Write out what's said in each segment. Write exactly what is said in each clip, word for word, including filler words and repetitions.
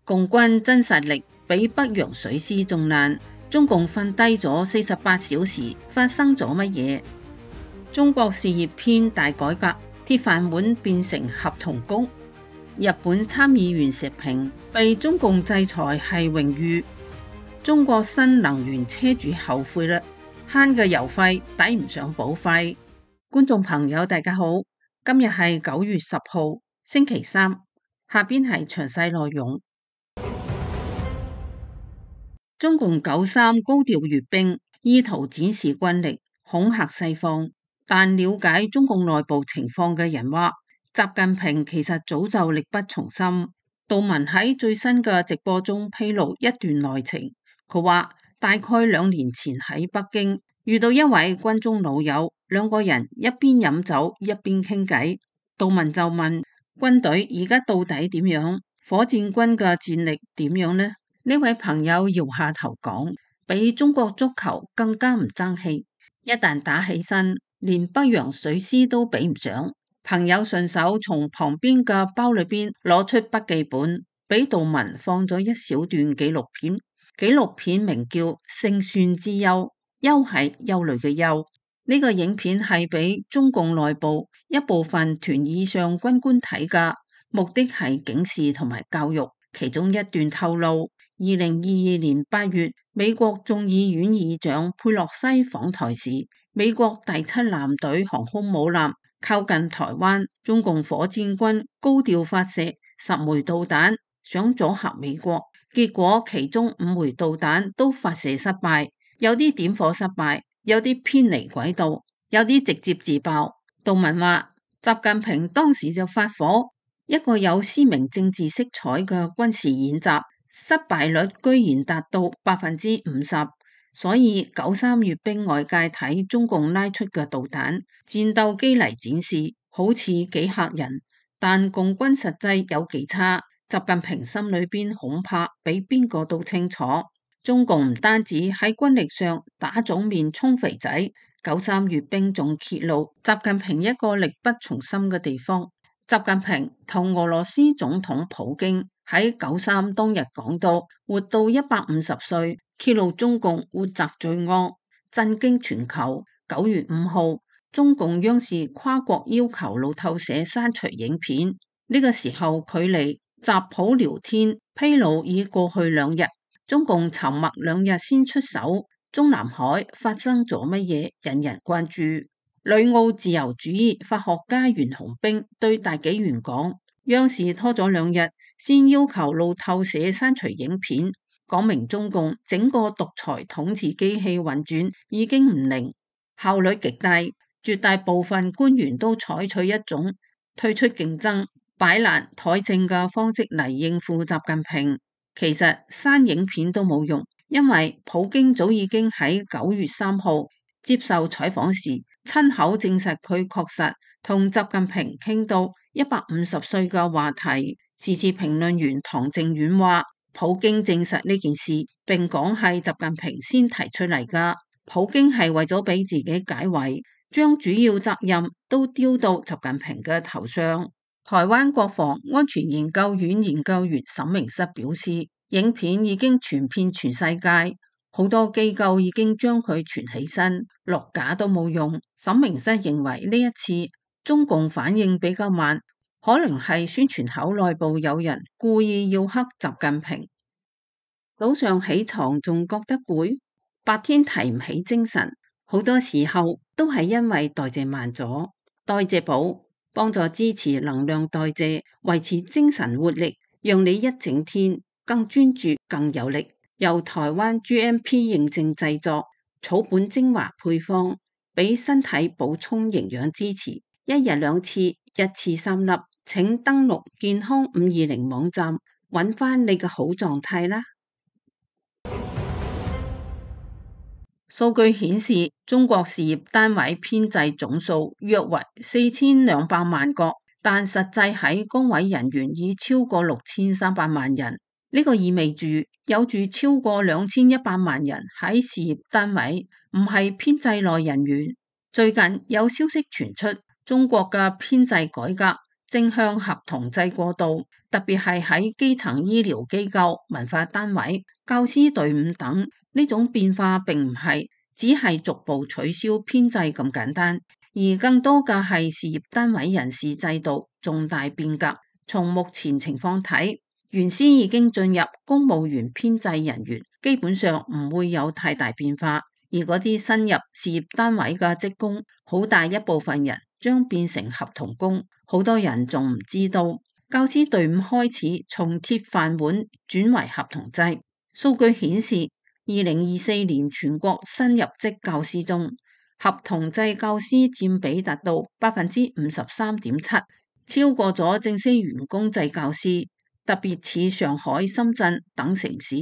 共軍真實力比北洋水師仲難，中共瞓低咗四十八小時，發生咗乜嘢？中國事業編大改革，鐵飯碗變成合同工。日本參議員石平被中共制裁係榮譽。中國新能源車主後悔啦，慳嘅油費抵唔上保費。觀眾朋友大家好，今日係九月十號星期三，下邊係詳細內容。中共九三高調閱兵，意圖展示軍力，恐嚇西方。但了解中共內部情況嘅人話，習近平其實早就力不從心。杜文喺最新嘅直播中披露一段內情，佢話大概兩年前喺北京遇到一位軍中老友，兩個人一邊飲酒一邊傾偈。杜文就問軍隊而家到底點樣？火箭軍嘅戰力點樣呢？呢位朋友搖下頭講，比中國足球更加唔爭氣，一旦打起身，連北洋水師都比唔上。朋友順手從旁邊嘅包裏邊攞出筆記本，俾杜文放咗一小段紀錄片。紀錄片名叫《勝算之憂》，憂係憂慮嘅憂。呢個影片係俾中共內部一部分團以上軍官睇㗎，目的係警示同埋教育。其中一段透露，二零二二年八月，美國眾議院議長佩洛西訪台時，美國第七艦隊航空母艦靠近台灣，中共火箭軍高調發射十枚導彈，想阻嚇美國。結果其中五枚導彈都發射失敗，有啲點火失敗，有啲偏離軌道，有啲直接自爆。杜文話，習近平當時就發火，一個有鮮明政治色彩嘅軍事演習，失敗率居然達到百分之五十，所以九三閱兵外界睇中共拉出嘅導彈戰鬥機嚟展示，好似幾嚇人，但共軍實際有幾差，習近平心裏邊恐怕比邊個都清楚。中共唔單止喺軍力上打腫面充肥仔，九三閱兵仲揭露習近平一個力不從心嘅地方。習近平同俄羅斯總統普京喺九三當日講到活到一百五十歲，揭露中共活摘罪惡，震驚全球。九月五號，中共央視跨國要求路透社刪除影片，呢個時候距離習普聊天披露已過去兩日，中共沉默兩日先出手。中南海發生咗乜嘢，引人關注。旅澳自由主義法學家袁洪兵對大紀元講，央視拖咗兩日先要求路透社刪除影片，講明中共整個獨裁統治機器運轉已經唔靈，效率極低，絕大部分官員都採取一種退出競爭、擺爛怠政嘅方式嚟應付習近平。其實刪影片都冇用，因為普京早已經喺九月三號接受採訪時親口證實佢確實同習近平傾到一百五十歲嘅話題。時事評論員唐正遠話，普京證實呢件事，並講係習近平先提出嚟㗎。普京係為咗俾自己解圍，將主要責任都丟到習近平嘅頭上。台灣國防安全研究院研究員沈明室表示，影片已經傳遍全世界，好多機構已經將佢傳起身，落架都冇用。沈明室認為呢一次中共反應比較慢，可能係宣傳口內部有人故意要黑習近平。早上起床仲覺得攰，白天提唔起精神，好多時候都係因為代謝慢咗。代謝寶幫助支持能量代謝，維持精神活力，讓你一整天更專注更有力。由台灣 G M P 認證製作，草本精華配方，俾身體補充營養支持，一日兩次，一次三粒。請登錄健康五二零網站，揾翻你嘅好狀態啦。數據顯示，中國事業單位編制總數約為四千兩百萬個，但實際喺崗位人員已超過六千三百萬人。呢個意味住有住超過兩千一百萬人喺事業單位，唔係編制內人員。最近有消息傳出，中國嘅編制改革正向合同制過渡，特別係喺基層醫療機構、文化單位、教師隊伍等。呢種變化並唔係只係逐步取消編制咁簡單，而更多嘅係事業單位人事制度重大變革。從目前情況睇，原先已經進入公務員編制人員基本上唔會有太大變化，而嗰啲新入事業單位嘅職工，好大一部分人將變成合同工。好多人仲唔知道，教師隊伍開始從鐵飯碗轉為合同制。數據顯示，二零二四年全國新入職教師中，合同制教師佔比達到百分之五十三點七。超過咗正式員工制教師，特別似上海、深圳等城市，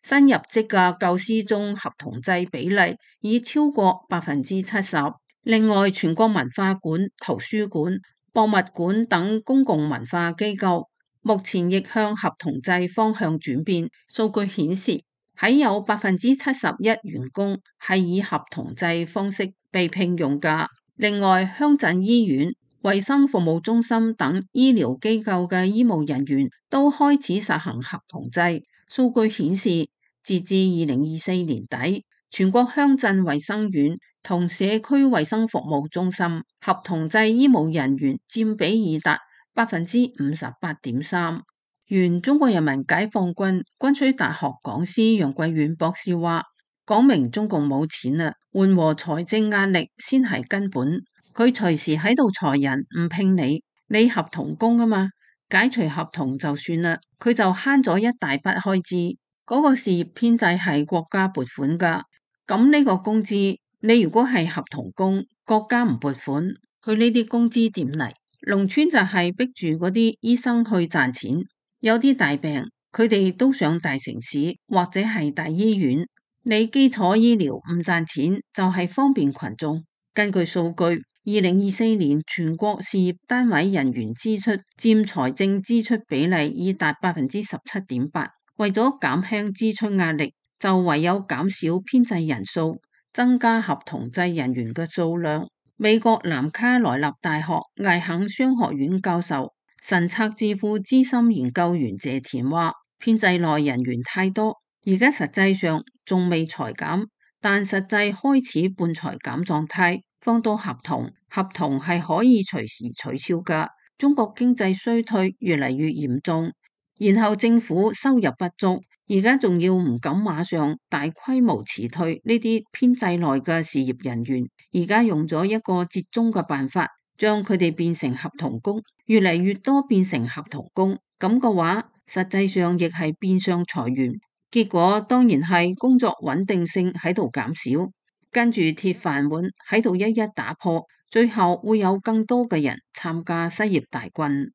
新入職嘅教師中合同制比例已超過百分之七十。另外，全國文化館、圖書館、博物館等公共文化機構目前亦向合同制方向轉變。數據顯示，喺有百分之七十一員工係以合同制方式被聘用㗎。另外，鄉鎮醫院、衛生服務中心等醫療機構嘅醫務人員都開始實行合同制。數據顯示，截至二零二四年底，全國鄉鎮衛生院同社區衛生服務中心合同制醫務人員佔比已達百分之五十八點三。原中國人民解放軍軍需大學講師楊貴遠博士話，講明中共冇錢啦，緩和財政壓力先係根本。佢隨時喺度裁人，唔聘你，你合同工啊嘛，解除合同就算啦，佢就慳咗一大筆開支。嗰個事業編制係國家撥款噶，咁呢個工資，你如果係合同工，國家唔撥款，佢呢啲工資點嚟？農村就係逼住嗰啲醫生去賺錢，有啲大病，佢哋都上大城市或者係大醫院。你基礎醫療唔賺錢，就係方便群眾。根據數據，二零二四年全國事業單位人員支出佔財政支出比例已達百分之十七點八。為咗減輕支出壓力，就唯有減少編制人數，增加合同制人員嘅數量。美國南卡羅來納大學艾肯商學院教授、神策智庫資深研究員謝田話：編制內人員太多，而家實際上仲未裁減，但實際開始半裁減狀態。放到合同，合同係可以隨時取消噶。中國經濟衰退越嚟越嚴重，然後政府收入不足，而家仲要唔敢馬上大規模辭退呢啲編制內嘅事業人員，而家用咗一個折中嘅辦法，將佢哋變成合同工，越嚟越多變成合同工，咁嘅話，實際上亦係變相裁員，結果當然係工作穩定性喺度減少。跟住鐵飯碗喺度一一打破，最後會有更多嘅人參加失業大軍。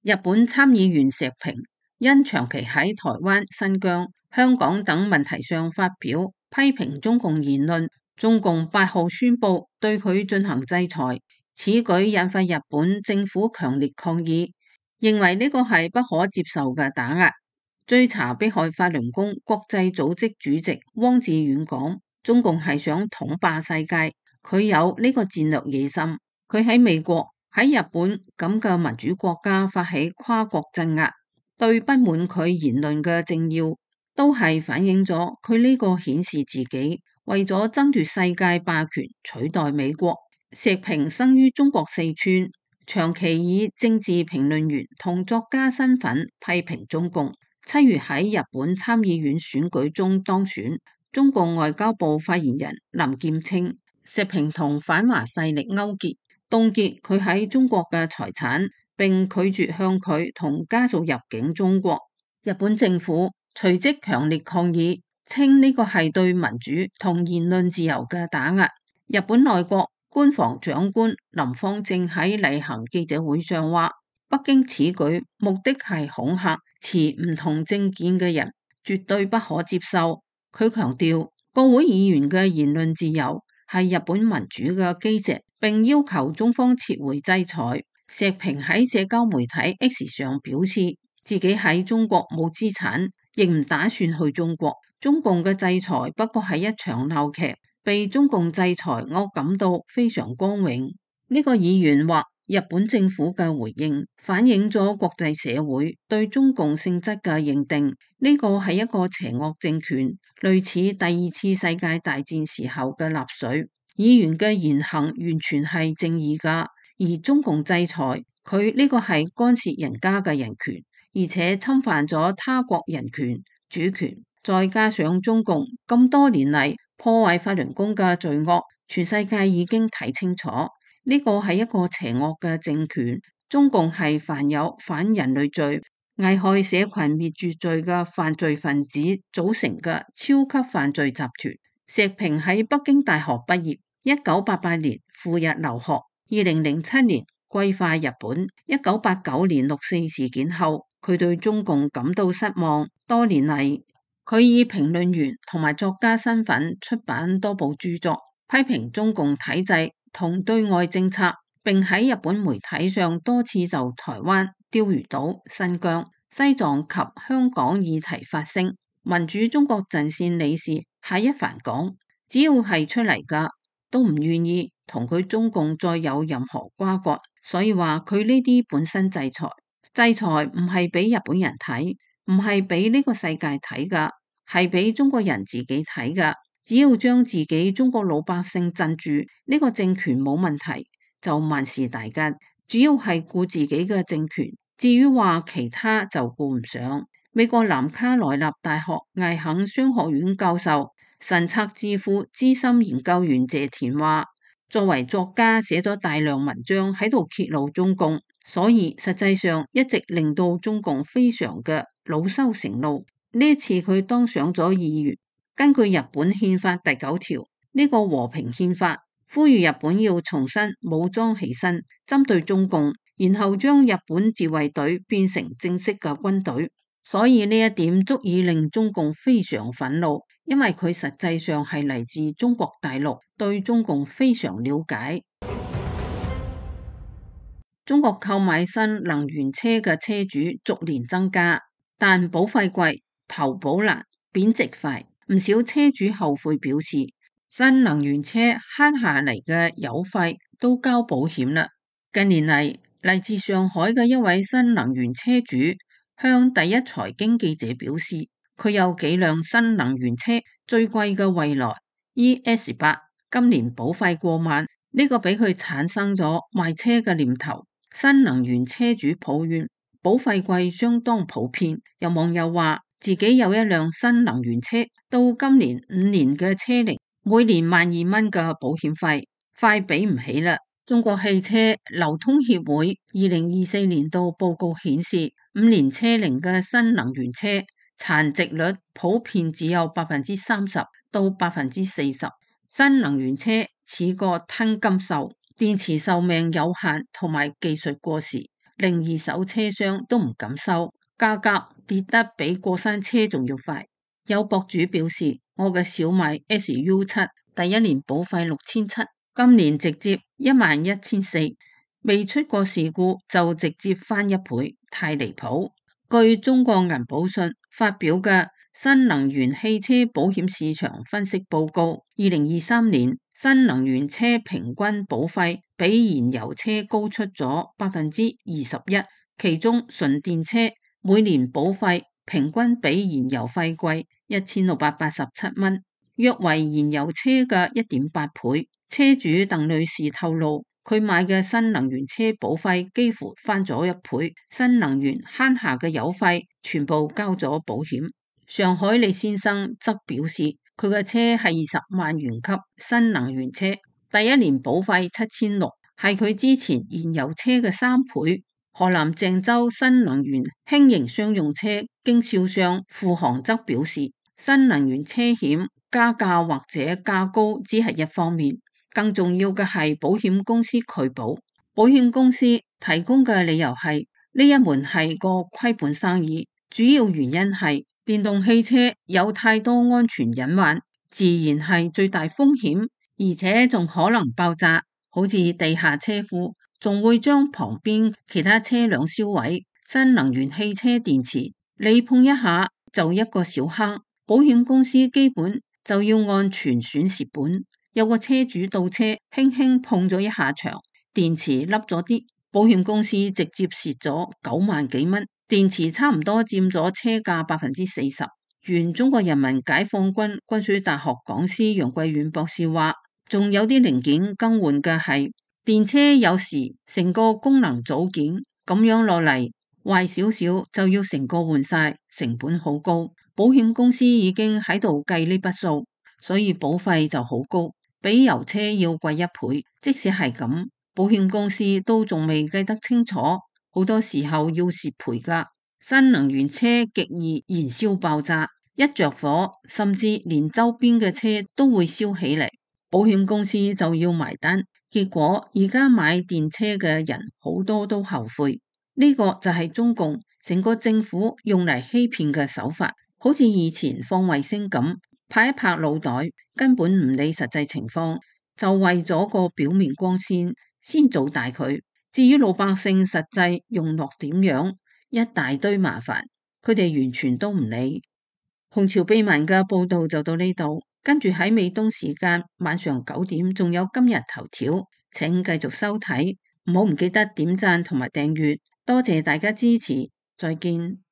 日本參議員石平因長期喺台灣、新疆、香港等問題上發表批評中共言論，中共八號宣布對佢進行制裁。此舉引發日本政府強烈抗議，認為呢個係不可接受嘅打壓。追查迫害法輪功國際組織主席汪志遠講，中共係想統霸世界，佢有呢個戰略野心。佢喺美國、喺日本咁嘅民主國家發起跨國鎮壓，對不滿佢言論嘅政要，都係反映咗佢呢個顯示自己為咗爭奪世界霸權取代美國。石平生於中國四川，長期以政治評論員同作家身份批評中共。七月喺日本參議院選舉中當選。中共外交部發言人林劍稱，石平同反華勢力勾結，凍結佢喺中國嘅財產，並拒絕向佢同家屬入境中國。日本政府隨即強烈抗議，稱呢個係對民主同言論自由嘅打壓。日本內閣官房長官林芳正喺例行記者會上話，北京此舉目的係恐嚇持唔同政見嘅人，絕對不可接受。佢強調，國會議員嘅言論自由係日本民主嘅基石，並要求中方撤回制裁。石平喺社交媒體 X 上表示，自己喺中國冇資產，亦唔打算去中國。中共嘅制裁不過係一場鬧劇，被中共制裁，我感到非常光榮。呢個議員話，日本政府嘅回應反映咗國際社會對中共性質嘅認定，呢個係一個邪惡政權，類似第二次世界大戰時候嘅納粹。議員嘅言行完全係正義㗎，而中共制裁佢呢個係干涉人家嘅人權，而且侵犯咗他國人權主權，再加上中共咁多年嚟破壞法輪功嘅罪惡，全世界已經睇清楚。呢個係一個邪惡嘅政權，中共係犯有反人類罪、危害社群滅絕罪嘅犯罪分子組成嘅超級犯罪集團。石平喺北京大學畢業，一九八八年赴日留學，二零零七年歸化日本。一九八九年六四事件後，佢對中共感到失望。多年嚟，佢以評論員同埋作家身份出版多部著作，批評中共體制同對外政策，並喺日本媒體上多次就台灣、釣魚島、新疆、西藏及香港議題發聲。民主中國陣線理事夏一帆講，只要係出嚟㗎，都唔願意同佢中共再有任何瓜葛。所以話佢呢啲本身制裁，制裁唔係俾日本人睇，唔係俾呢個世界睇㗎，係俾中國人自己睇㗎。只要將自己中國老百姓鎮住，呢個政權冇問題，就萬事大吉。主要係顧自己嘅政權，至於話其他就顧唔上。美國南卡羅來納大學艾肯商學院教授、神策智庫資深研究員謝田話，作為作家寫咗大量文章喺度揭露中共，所以實際上一直令到中共非常嘅惱羞成怒。呢次佢當上咗議員。根據日本憲法第九條，呢個和平憲法呼籲日本要重新武裝起身，針對中共，然後將日本自衛隊變成正式嘅軍隊。所以呢一點足以令中共非常憤怒，因為佢實際上係嚟自中國大陸，對中共非常了解。中國購買新能源車嘅車主逐年增加，但保費貴、投保難、貶值快。唔少車主後悔表示，新能源車慳下嚟嘅油費都交保險啦。近年嚟，嚟自上海嘅一位新能源車主向第一財經記者表示，佢有幾輛新能源車，最貴嘅蔚來 E S 八，今年保費過萬，呢個俾佢產生咗賣車嘅念頭。新能源車主抱怨保費貴相當普遍，有網友話自己有一輛新能源車，到今年五年嘅車齡，每年萬二蚊嘅保險費，快俾唔起啦。中國汽車流通協會二零二四年度報告顯示，五年車齡嘅新能源車殘值率普遍只有百分之三十到百分之四十。新能源車似個吞金獸，電池壽命有限同埋技術過時，令二手車商都唔敢收，價格跌得比過山車仲要快。有博主表示，我嘅小米 S U 七第一年保費六千七，今年直接一萬一千四，未出過事故就直接翻一倍，太離譜。據中國銀保信發表嘅新能源汽車保險市場分析報告，二零二三年新能源車平均保費比燃油車高出咗百分之二十一，其中純電車每年保費平均比燃油費貴一千六百八十七蚊，約為燃油車嘅一點八倍。車主鄧女士透露，佢買嘅新能源車保費幾乎翻咗一倍，新能源慳下嘅油費全部交咗保險。上海李先生則表示，佢嘅車係二十萬元級新能源車，第一年保費七千六，係佢之前燃油車嘅三倍。河南鄭州新能源輕型商用車經銷商付航則表示，新能源車險加價或者價高只係一方面，更重要嘅係保險公司拒保。保險公司提供嘅理由係呢一門係個虧本生意，主要原因係電動汽車有太多安全隱患，自然係最大風險，而且仲可能爆炸，好似地下車庫，仲會將旁邊其他車輛燒毀。新能源汽車電池你碰一下就一個小坑，保險公司基本就要按全損蝕本。有個車主倒車輕輕碰咗一下牆，電池凹咗啲，保險公司直接蝕咗九萬幾蚊。電池差唔多佔咗車價百分之四十。原中國人民解放軍軍需大學講師楊貴遠博士話，仲有啲零件更換嘅係電車，有時成個功能組件咁樣落嚟壞少少就要成個換晒，成本好高。保險公司已經喺度計呢筆數，所以保費就好高，比油車要貴一倍。即使係咁，保險公司都仲未計得清楚，好多時候要蝕賠㗎。新能源車極易燃燒爆炸，一着火，甚至連周邊嘅車都會燒起嚟，保險公司就要埋單。結果而家買電車嘅人好多都後悔。呢個就係中共成個政府用嚟欺騙嘅手法，好似以前放衛星咁，拍一拍腦袋，根本唔理實際情況，就為咗個表面光鮮先做大佢。至於老百姓實際用落點樣，一大堆麻煩，佢哋完全都唔理。紅潮秘聞嘅報道就到呢度，跟住喺美東時間晚上九點仲有今日頭條，請繼續收睇，唔好唔記得點讚同埋訂閱，多謝大家支持，再見。